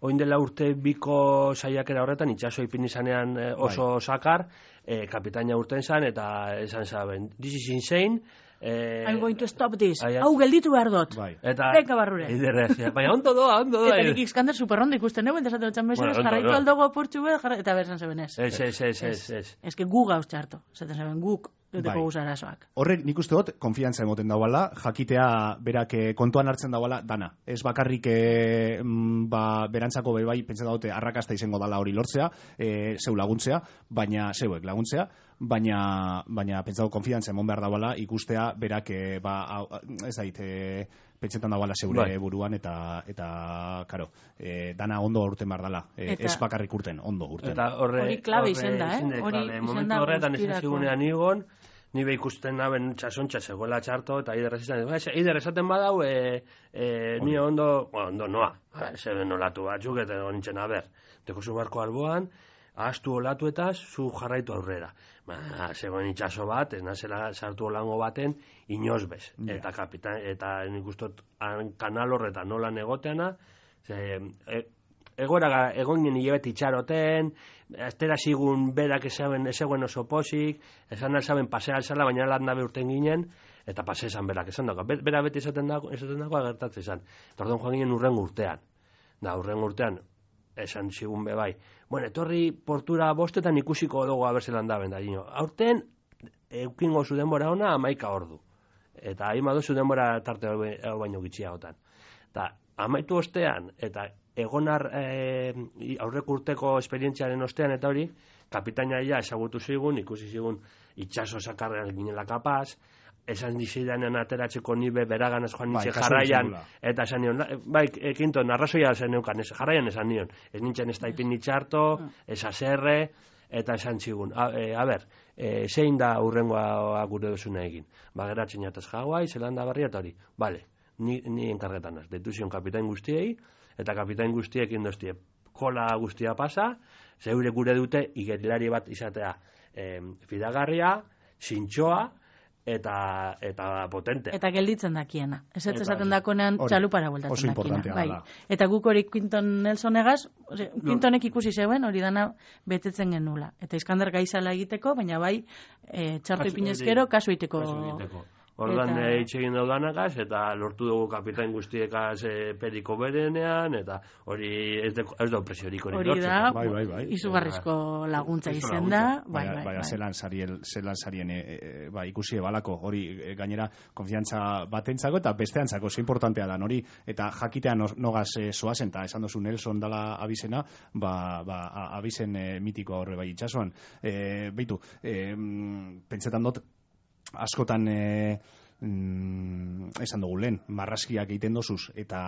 oin dela urte biko saiakera horretan, itxaso ipin izanean e, oso bai. Sakar, e, kapitaina urten zan, eta esan zaben, this is insane, Eh, I'm going to stop this. Hau gelditu behar dut. Bai. Eta Beka barrure. Iderrez, baina ondo doa, ondo doa. Eta nik Iskander superrondo ikusten neuen, desatu dutxan mesenes, bueno, jarraitu aldogo apurtxu behar, eta berzan zeben ez. Ez, ez, ez, ez, ez. Ez que gu gauz txarto, zaten zeben guk, duteko guzarazoak. Horrek nik uste dut, konfiantza emoten dauala, jakitea berak kontuan hartzen dauala dana. Ez bakarrik e, ba, berantzako bebai, pentsa daute, arrakasta izango dala hori lortzea, e, zeu laguntzea, baina zeuek laguntzea, baina baina pentsatu konfiantza emon behar dauala ikustea berak e, ba, ez dait e, pentsetan dauala zeure bai. Buruan eta eta karo, e, dana ondo urten behar dala, e, ez bakarrik urten, ondo urten. Eta horre, hori klabe izen da, eh? Hori izen da horretan ez ezigunean igon, ni be ikusten naben txasontxa zegoela txarto, eta ider esaten, ider esaten badau, e, e, ni ondo, bueno, ondo noa, zeben olatu batzuk, eta nintzen aber, teko zu barko alboan, ahaztu olatuetaz, zu jarraitu aurrera. Ba, zegoen itxaso bat, ez nazela sartu olango baten, inoz bez. Yeah. Eta kapitan, eta nik ustot kanal horretan nola negoteana, ze, e, egora egoinen hilabet itxaroten, aztera zigun berak ezaben, ezaben oso posik, esan alzaben pasea alzala, baina lan dabe urten ginen, eta pasea esan berak esan dago. Bera beti esaten dago, esaten dago agertatzen esan. Eta orduan joan ginen urren urtean. Da, urren urtean, esan zigun bebai. Bueno, etorri portura bostetan ikusiko dugu abertzelan daben da. Gino. Aurten, eukingo zu denbora ona amaika ordu. Eta hain baduzu denbora tarte hau baino gitxiagotan. Eta amaitu ostean, eta egonar e, aurrek urteko esperientziaren ostean eta hori, kapitaina ia ezagutu zigun, ikusi zigun itxaso sakarrean ginela kapaz, esan dizidanen ateratzeko nibe beragan ez joan nintzen bai, jarraian, eta esan nion, bai, ekinto, narrazoia zen neukan, ez, jarraian esan nion, ez nintzen ez taipin nitxarto, ez azerre, eta esan zigun, a, e, a ber, e, zein da urrengoa gure duzuna egin. Ba, geratzen jataz Hawaii, Zelanda Berria eta hori. Bale, ni, ni enkargetan az. Deitu zion kapitain guztiei, eta kapitain guztiek indostie kola guztia pasa, zeure gure dute igerilari bat izatea e, fidagarria, zintxoa, eta eta potente. Eta gelditzen dakiena. Ez ez esaten dakonean txalupara bueltatzen dakiena. Bai. Eta guk hori Quinton Nelsonegaz, Quintonek ikusi zeuen hori dana betetzen genula. Eta Iskander gaizala egiteko, baina bai e, txarto ipinezkero kasu egiteko. Ordan hitz egin daudanagaz, eta lortu dugu kapitain guztiekaz e, periko berenean, eta hori ez da presiorik hori lortzen. Hori da, bai, bai, bai. Izugarrizko laguntza izen da. Bai, bai, bai. Zelan sarien e, e, ba, ikusi ebalako, hori e, gainera konfiantza batentzako, eta besteantzako, ze importantea da, hori, eta jakitean nogaz e, soazen, eta esan dozu Nelson dala abizena, ba, ba, abizen e, mitiko horre bai itxasuan. E, Beitu, e, pentsetan dut, askotan e, mm, esan dugu lehen, marraskiak egiten dozuz, eta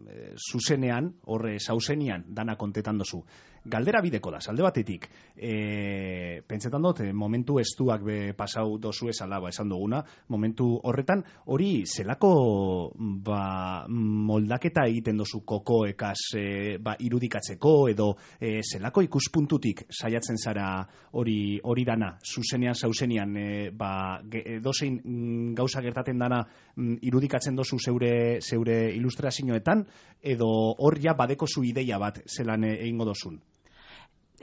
e, zuzenean, horre sauzenian, dana kontetan dozu. Galdera bideko da, salde batetik, e, pentsetan dut, momentu estuak be pasau dozu esala, ba, esan duguna, momentu horretan, hori zelako ba, moldaketa egiten dozu kokoekaz e, ba, irudikatzeko, edo e, zelako ikuspuntutik saiatzen zara hori hori dana, zuzenean, sauzenean, e, ba, dozein mm, gauza gertaten dana mm, irudikatzen dozu zeure, zeure ilustrazioetan, edo hor ja badeko zu ideia bat zelan egingo dozun?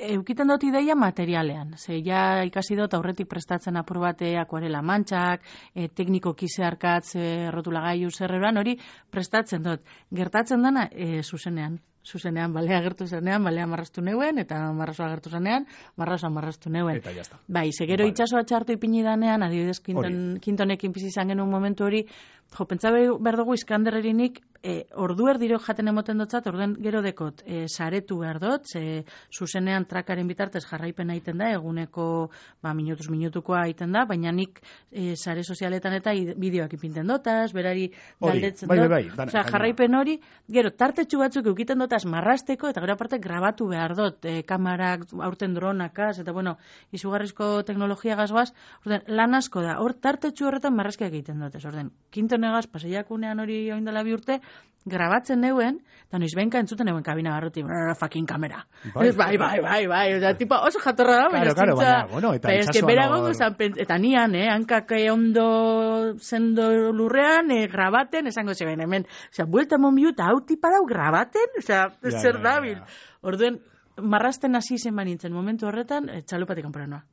Eukiten dut ideia materialean, ze ja ikasi dut aurretik prestatzen apur bate akuarela mantxak, e, teknikoki zeharkatz, e, rotulagailu zerreran, hori prestatzen dut. Gertatzen dana, e, zuzenean. Zuzenean, balea agertu zenean, balea marrastu neuen, eta marrazoa agertu zenean, marrazoa marrastu neuen. Eta jazta. Bai, segero vale. Itxasoa txartu ipini danean, adibidez, Quinton, Quintonekin bizi izan genuen momentu hori, jo, pentsa behar dugu Iskanderrerinik, e, ordu erdiro jaten emoten dotzat, orduen gero dekot, e, saretu behar dut, ze zuzenean trakaren bitartez jarraipen egiten da, eguneko, ba, minutuz minutukoa egiten da, baina nik e, sare sozialetan eta bideoak ipinten dotaz, berari galdetzen bai, dut. Bai, bai, Osea, jarraipen hori, gero, tartetxu batzuk eukiten dotaz marrasteko, eta gero aparte grabatu behar dut, e, kamarak, aurten dronakaz, eta bueno, izugarrizko teknologia gazgoaz, orden, lan asko da, hor tartetxu horretan marrazkiak egiten dut, ez orden, Quintonegaz, paseiakunean hori oindela bi urte, grabatzen neuen, eta noiz benka entzuten neuen kabina barruti, fucking kamera. Bai, bai, bai, bai, bai, oza, tipo, oso jatorra da, baina claro, claro, bueno, eta itxasuan... Eta nian, eh, hankak ondo zendo lurrean, eh, grabaten, esango zeben, hemen, oza, buelta monbiu, eta hau tipa dau grabaten, oza, ja, zer ja, dabil. Ja, ja. Orduen, marrasten hasi zen banintzen, momentu horretan, eh, txalupatik kanporanoa.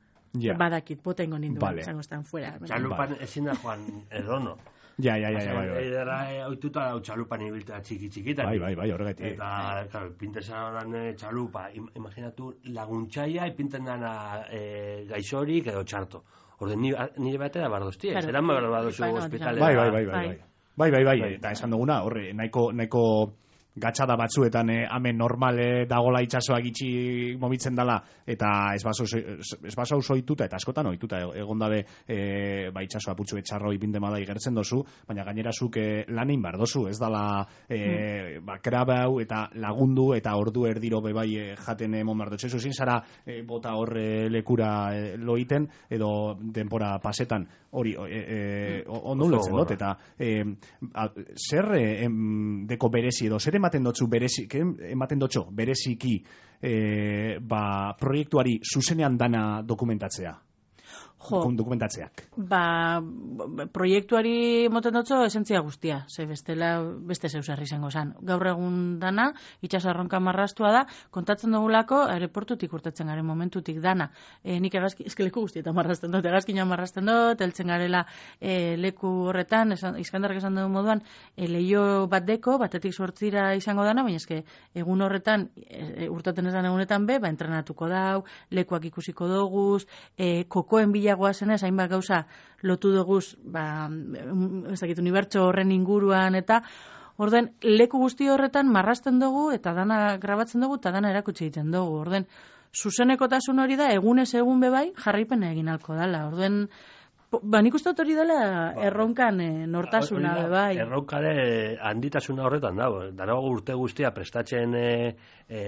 Ja. Badakit, bota ingo nindu, vale. Esango estan fuera. Txalupan ezin da joan edono. Ja, ja, ja, bai, bai. Edera oituta txalupan ibiltea txiki-txikitan. Bai, bai, bai, horregatik. Eta, claro, pintesan txalupa, imaginatu laguntzaia, ipinten dana e, gaixorik edo txarto. Orden, nire batera bardoztie, claro. Zeran bardozu hospitalera. Bai, bai, bai, bai, bai. Bai, bai, bai, eta esan duguna, horre, nahiko, nahiko gatxada batzuetan eh, amen normal eh, dagola itxasoa gitxi momitzen dala, eta ez baso oituta, eta askotan oituta egon dabe eh, ba, itxasoa putxu etxarro ipinte madai gertzen dozu, baina gainera zuk eh, lanein bar dozu, ez dala eh, mm. ba, krabau eta lagundu eta ordu erdiro bebai eh, jaten emon bar dutxezu, zin zara eh, bota hor eh, lekura eh, loiten, edo denpora pasetan hori eh, eh, ondo ulertzen dut, eta eh, a, zer eh, em, deko berezi edo, zer ematen dotzu berezi, ematen dotxo bereziki e, ba, proiektuari zuzenean dana dokumentatzea. Jo, dokumentatzeak. Ba, proiektuari moten dotzo esentzia guztia, ze bestela beste zeusarri izango zan. Gaur egun dana, itxasarronka marrastua da, kontatzen dugulako aeroportutik urtatzen garen momentutik dana. E, nik egazki, leku guztietan marrasten dut, egazkina marrasten dut, eltzen garela e, leku horretan, esan, Iskandarrak esan dugu moduan, e, leio bat deko, batetik sortzira izango dana, baina eske egun horretan, e, urtaten esan egunetan be, ba, entrenatuko dau, lekuak ikusiko doguz, e, kokoen bila goazenez, hainbat gauza lotu duguz, ba, ez dakit, unibertso horren inguruan, eta orden, leku guzti horretan marrasten dugu, eta dana grabatzen dugu, eta dana erakutsi egiten dugu. Orden, zuzenekotasun hori da, egunez egun bebai, jarraipena egin alko dala. Orden, ba, nik uste hori dela erronkan e, nortasuna bebai. Erronkare handitasuna horretan dago. Darago urte guztia prestatzen e, e,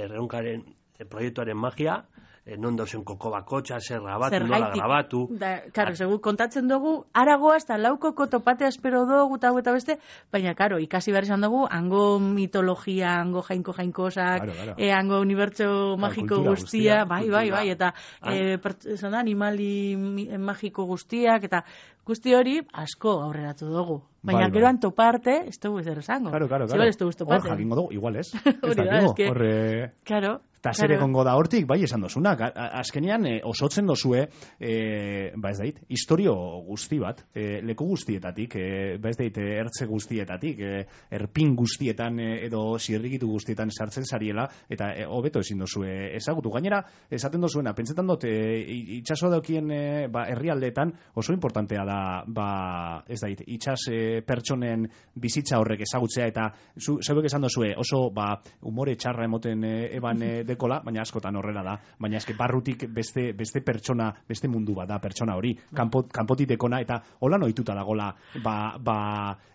erronkaren e, proiektuaren magia, e, non dauzen koko bakotxa, zer grabatu, nola grabatu. Da, karo, segu, kontatzen dugu, aragoa, eta laukoko topatea espero dugu, eta eta beste, baina, karo, ikasi behar izan dugu, hango mitologia, hango jainko jainkosak, claro, claro. E, hango unibertso magiko guztia, guztia, bai, bai, bai, eta e, pertsona, animali magiko guztiak, eta guzti hori asko aurreratu dugu. Baina bai, geroan bai. Toparte, ez dugu ezer esango. Claro, claro, claro. Ez dugu toparte. Hor, jakingo dugu, igual ez. Hori da, ez que... Horre... Claro. Eta zer egongo da hortik, bai, esan dozunak. Azkenean, e, osotzen dozue, e, ba ez dait, historio guzti bat, e, leku guztietatik, e, ba ez dait, ertze guztietatik, e, erpin guztietan e, edo zirrikitu guztietan sartzen zariela, eta hobeto e, ezin dozue ezagutu. Gainera, esaten dozuena, pentsetan dut, e, itxaso daukien e, ba, herrialdeetan oso importantea da, ba, ez dait, itxas e, pertsonen bizitza horrek ezagutzea, eta zu, zeuek esan dozue, oso, ba, umore txarra emoten e, eban e, dekola, baina askotan horrela da. Baina eske barrutik beste, beste pertsona, beste mundu bat da pertsona hori, kanpo, kanpotik dekona, eta hola noituta dagola, ba, ba,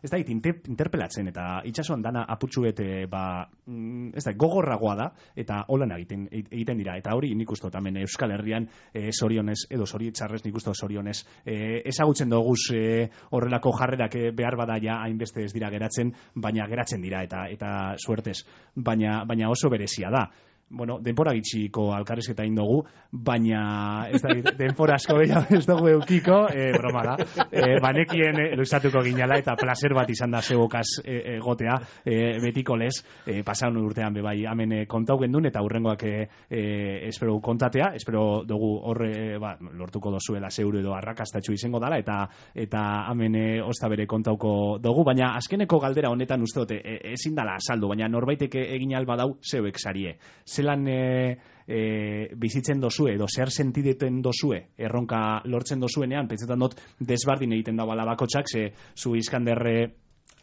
ez da, inter, interpelatzen, eta itxasuan dana apurtxuet, ba, ez da, gogorragoa da, eta holan egiten, egiten dira, eta hori nik uste tamen Euskal Herrian e, sorionez, edo zorietxarrez nik uste sorionez, e, ezagutzen doguz e, horrelako jarrerak e, behar bada ja hainbeste ez dira geratzen, baina geratzen dira, eta, eta suertez, baina, baina oso berezia da. Bueno, denpora gitxiko alkarrizketa indogu, baina ez da, denpora asko ez dugu eukiko, e, broma da, e, banekien e, luizatuko ginala, eta placer bat izan da zeugokaz e, egotea, e, betiko lez, e, pasaun urtean bebai, hemen e, kontau gendun, eta hurrengoak e, e, espero kontatea, espero dugu horre, ba, lortuko dozuela zeuru edo arrakastatxu izango dala, eta eta hemen e, osta bere kontauko dugu, baina azkeneko galdera honetan uste dute, e, ezin dala saldu, baina norbaitek egin alba dau zeuek sarie. Zelan e, e, bizitzen dozue, edo zer sentideten dozue, erronka lortzen dozuenean, pentsetan dut desbardin egiten da bala bakotxak, ze zu Iskanderre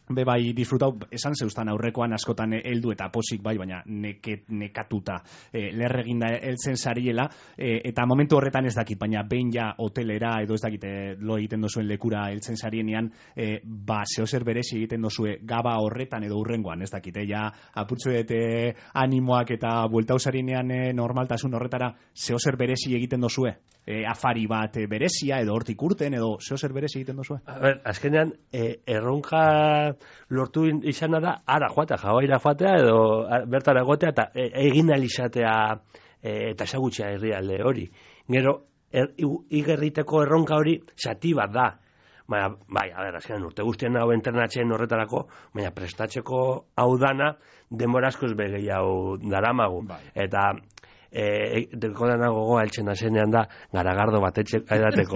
be bai disfrutau, esan zeustan aurrekoan askotan heldu eta posik bai, baina neket, nekatuta e, lerreginda heltzen zariela, e, eta momentu horretan ez dakit, baina behin ja hotelera edo ez dakit lo egiten dozuen lekura heltzen zarienean, e, ba zehozer berezi egiten dozue gaba horretan edo urrengoan, ez dakit, e, ja apurtzuet e, animoak eta bueltau zarienean e, normaltasun horretara zehozer berezi egiten dozue, e, afari bat e, berezia edo hortik urten edo zehozer berezi egiten dozue. A ber, azkenean e, erronka lortu izana da ara joatea, jabaira joatea edo bertara egotea eta egin alizatea e, eta ezagutzea herrialde hori. Gero, er, igerriteko erronka hori zati bat da. Baina, bai, a ber, azkenean urte guztien hau entrenatzen horretarako, baina prestatzeko hau dana denbora askoz begei hau daramagu. Bai. Eta Eh, dekodan gogoa eltzen da zenean da garagardo bat edateko.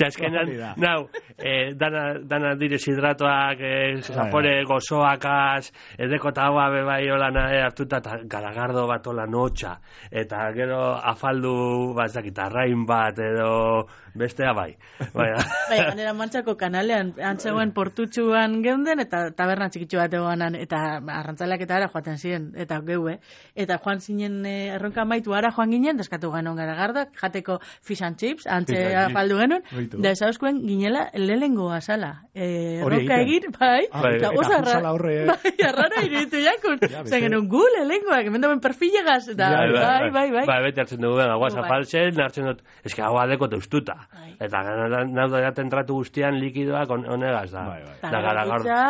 Azkenan, nau, eh, dana, dana diresidratoak, eh, zapore gozoakaz, edeko eta haua bebai holan eh, hartuta, eta garagardo bat holan hotxa, eta gero afaldu batzakit, arrain bat, edo bestea bai. Bai, ganera Mantxako kanalean, antzegoen portutxuan geunden, eta taberna txikitxu bat egoanan, eta arrantzaleak eta ara joaten ziren, eta geue, eta joan zinen eh, erronka maitu ara joan ginen, deskatu ganon garagardak, jateko fish and chips, antze afaldu genuen, da esauzkoen ginela lehengo azala. Eh, erronka egin, bai, eta oso arrara, bai, arrara iritu jakun, zen genuen gu lehengoak, hemen dauen perfilegaz, eta bai, bai, bai. Bai, beti hartzen dugu, guaz afaltzen, hartzen dut, eski hau adeko teuztuta, eta nahu da jaten tratu guztian likidoak onegaz da. Eta gara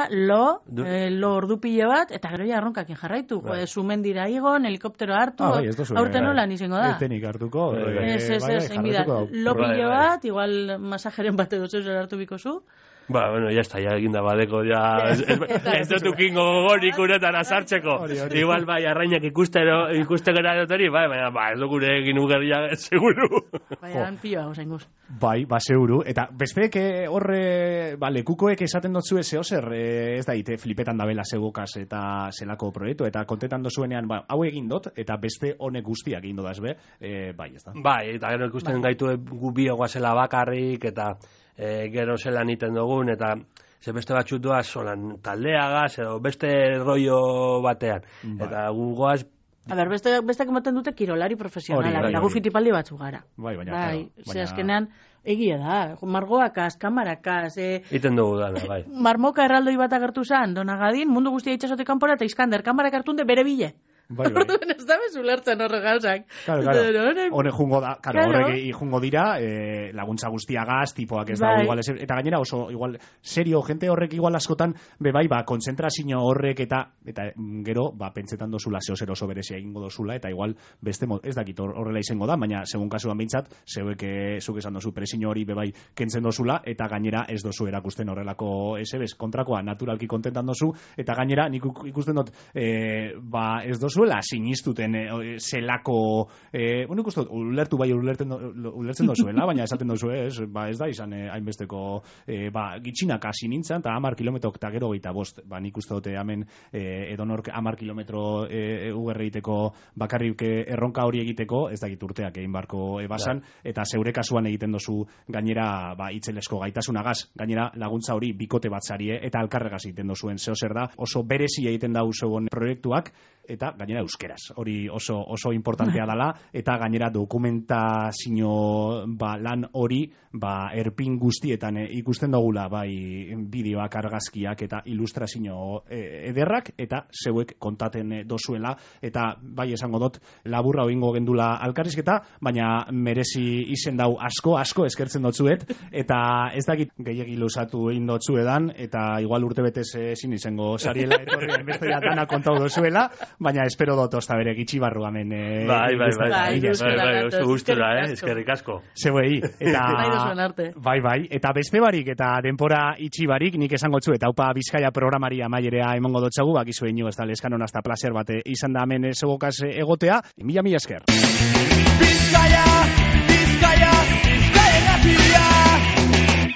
lo, lo ordu pile bat, eta gero ja erronkakin jarraitu, zumendira igon, helikoptero hartu, aurten nolan izango da. Etenik hartuko. Ez, ez, ez, lo pile bat, igual masajeren bat edo zeus hartu biko zu. Ba, bueno, ya está, ya eginda badeko, ya... Ez dut ukingo gogorik uretan azartzeko. Igual, bai, arrainak ikustero, ikustera dut bai, baina, ba, ez dukure egin ugerria, seguru. Bai, han pilo hau zain guz. Bai, ba, seguru. Eta, bezpeek horre, ba, lekukoek esaten dotzu ez zer, ez da, ite, flipetan dabela zegokaz eta zelako proiektu, eta kontetan dozuenean, ba, hau egin dut, eta beste honek guztiak egin dodaz be, e, bai, ez da. Bai, eta gero ikusten gaitu gu biogoazela bakarrik, eta E, gero zelan iten dugun, eta ze beste batxut doaz solan taldeagaz, edo beste rollo batean. Bai. Eta gugoaz... A ber, beste, beste kemoten dute kirolari profesionala, bai, lagu fitipaldi batzu gara. Bai, baina, bai, claro, baina... azkenean, egia da, margoakaz, kamarakaz, e... iten dugu dana, bai. Marmoka erraldoi bat agertu zan, Donagadin, mundu guztia itxasotik kanpora, eta Iskander, kamarak hartunde bere bile. Bai, bai. Ez da bez ulertzen horre gauzak. Claro, claro. Hone jungo da, claro, horrek jungo dira, eh, laguntza guztiagaz, tipoak ez da, igual, ez, eta gainera oso, igual, serio, gente horrek igual askotan, be bai, ba, kontzentrazio horrek eta, eta gero, ba, pentsetan dozula, zeo zer oso berezia egingo dozula, eta igual, beste, ez dakit horrela izango da, baina, segun kasuan behintzat, zeuek, zuk esan dozu, presiño hori, be bai, kentzen dozula, eta gainera ez dozu erakusten horrelako, ez ebez, kontrakoa, naturalki kontentan dozu, eta gainera, nik ikusten dut, eh, ba, ez dozuela, sinistuten, eh, zelako, eh, bueno, ikusten dut, ulertu bai, ulerten, ulertzen dozuela, baina esaten dozu, ez, ba, ez da izan, eh, hainbesteko, eh, ba, gitxinak hasi nintzen, eta hamar kilometrok eta gero gaita bost, ba, nik uste dute hemen, eh, edonork hamar kilometro eh, ugerre egiteko, bakarrik erronka hori egiteko, ez dakit urteak egin barko ebasan, eta zeure kasuan egiten dozu gainera, ba, itzelesko gaitasunagaz, gainera laguntza hori bikote bat zarie, eta alkarregaz egiten dozuen, zeo zer da, oso berezi egiten da zeuen proiektuak, eta gainera euskeraz, hori oso oso importantea dela, eta gainera dokumentazio ba, lan hori ba, erpin guztietan e, ikusten dugula bai bideoak, argazkiak eta ilustrazio e, ederrak, eta zeuek kontaten e, dozuela, eta bai esango dut laburra oingo gendula alkarrizketa, baina merezi izen dau asko, asko eskertzen dotzuet, eta ez dakit gehiagi luzatu egin dotzuedan, eta igual urte betez ezin izango sariela etorri enbestoia dana kontau dozuela, baina espero dut osta bere gitxi barru hemen. Eh, bai, bai, bai, bai, bai, oso gustura, eh, eskerrik asko. Zeuei, eta bai, bai, eta beste barik, eta denpora itxi barik, nik esango txu, eta upa Bizkaia programari amaierea emongo dotxagu, bakizu inu, ez da, leskanon hasta placer bate izan da hemen zebokaz egotea, mila mila esker. Bizkaia!